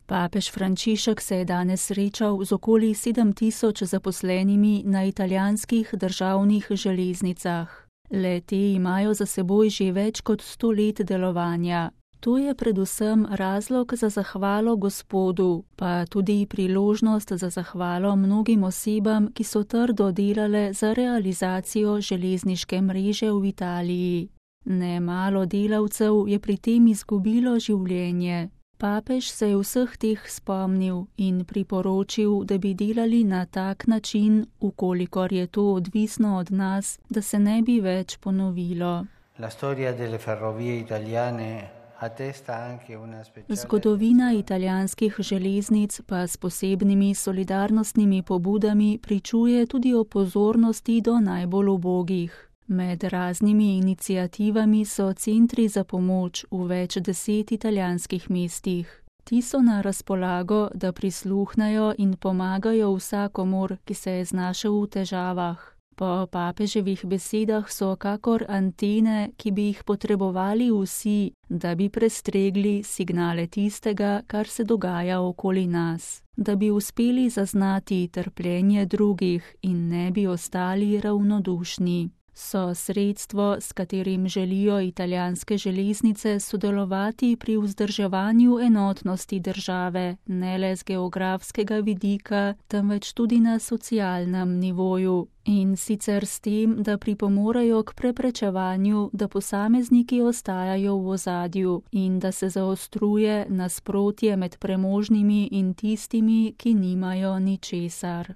Papež Frančišek se je danes srečal z okoli 7.000 zaposlenimi na italijanskih državnih železnicah. Le-te imajo za seboj že več kot 100 let delovanja. To je predvsem razlog za zahvalo Gospodu, pa tudi priložnost za zahvalo mnogim osebam, ki so trdo delale za realizacijo železniške mreže v Italiji. Nemalo delavcev je pri tem izgubilo življenje. Papež se je vseh teh spomnil in priporočil, da bi delali na tak način, ukolikor je to odvisno od nas, da se ne bi več ponovilo. Zgodovina italijanskih železnic pa s posebnimi solidarnostnimi pobudami pričuje tudi o pozornosti do najbolj ubogih. Med raznimi iniciativami so centri za pomoč v več 10 italijanskih mestih. Ti so na razpolago, da prisluhnejo in pomagajo vsakomur, ki se je znašel v težavah. Po papeževih besedah so kakor antene, ki bi jih potrebovali vsi, da bi prestregli signale tistega, kar se dogaja okoli nas. Da bi uspeli zaznati trpljenje drugih in ne bi ostali ravnodušni. So sredstvo, s katerim želijo italijanske železnice sodelovati pri vzdrževanju enotnosti države, ne le z geografskega vidika, temveč tudi na socialnem nivoju. In sicer s tem, da pripomorejo k preprečevanju, da posamezniki ostajajo v ozadju in da se zaostruje nasprotje med premožnimi in tistimi, ki nimajo ničesar.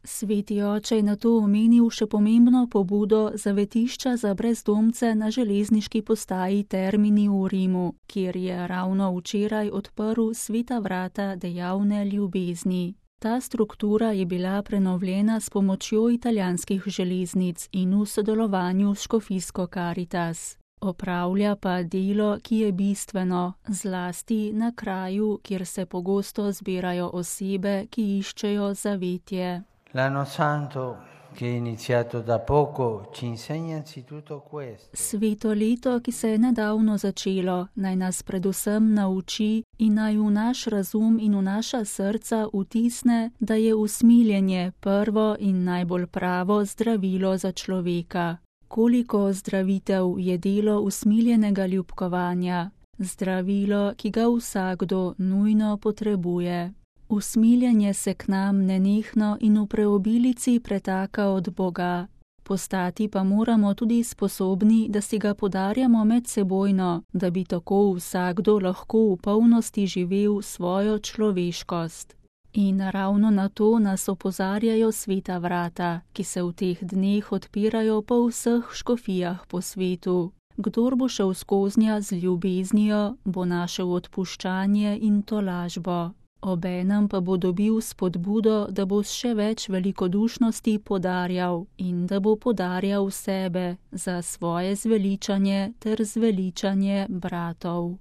Sveti oče je nato omenil še pomembno pobudo zavetišča za brezdomce na železniški postaji Termini v Rimu, kjer je ravno včeraj odprl sveta vrata dejavne ljubezni. Ta struktura je bila prenovljena s pomočjo italijanskih železnic in v sodelovanju s škofijsko Caritas. Opravlja pa delo, ki je bistveno, zlasti na kraju, kjer se pogosto zbirajo osebe, ki iščejo zavetje. L'anno santo, che è iniziato da poco, ci insegna anzitutto questo. Sveto leto, ki se je nedavno začelo, naj nas predvsem nauči in naj v naš razum in v naša srca vtisne, da je usmiljenje prvo in najbolj pravo zdravilo za človeka. Koliko zdravitev je delo usmiljenega ljubkovanja, zdravilo, ki ga vsakdo nujno potrebuje. Usmiljenje se k nam nenehno in v preobilici pretaka od Boga. Postati pa moramo tudi sposobni, da si ga podarjamo medsebojno, da bi tako vsakdo lahko v polnosti živel svojo človeškost. In ravno na to nas opozarjajo sveta vrata, ki se v teh dneh odpirajo po vseh škofijah po svetu. Kdor bo šel skoznja z ljubeznijo, bo našel odpuščanje in tolažbo. Obenem pa bo dobil spodbudo, da bo s še več velikodušnosti podarjal in da bo podarjal sebe za svoje zveličanje ter zveličanje bratov.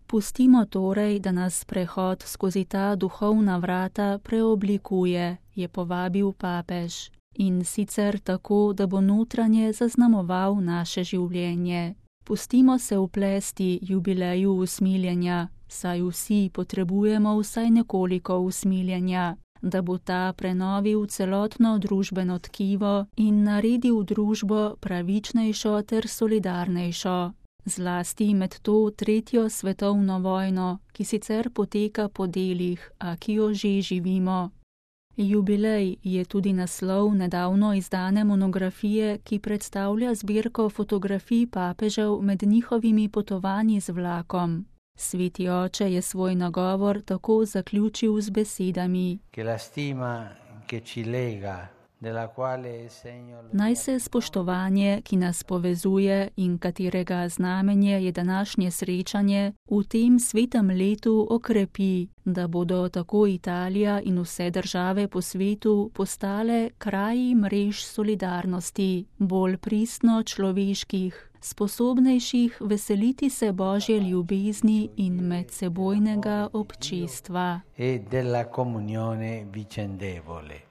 Pustimo torej, da nas prehod skozi ta duhovna vrata preoblikuje, je povabil papež. In sicer tako, da bo notranje zaznamoval naše življenje. Pustimo se vplesti jubileju usmiljenja, saj vsi potrebujemo vsaj nekoliko usmiljenja, da bo ta prenovil celotno družbeno tkivo in naredil družbo pravičnejšo ter solidarnejšo. Zlasti med to 3. svetovno vojno, ki sicer poteka po delih, a ki jo že živimo. Jubilej je tudi naslov nedavno izdane monografije, ki predstavlja zbirko fotografij papežev med njihovimi potovanji z vlakom. Sveti oče je svoj nagovor tako zaključil z besedami: Naj se spoštovanje, ki nas povezuje in katerega znamenje je današnje srečanje, v tem svetem letu okrepi, da bodo tako Italija in vse države po svetu postale kraji mrež solidarnosti, bolj pristno človeških, sposobnejših veseliti se Božje ljubezni in medsebojnega občestva. E della comunione vicendevole.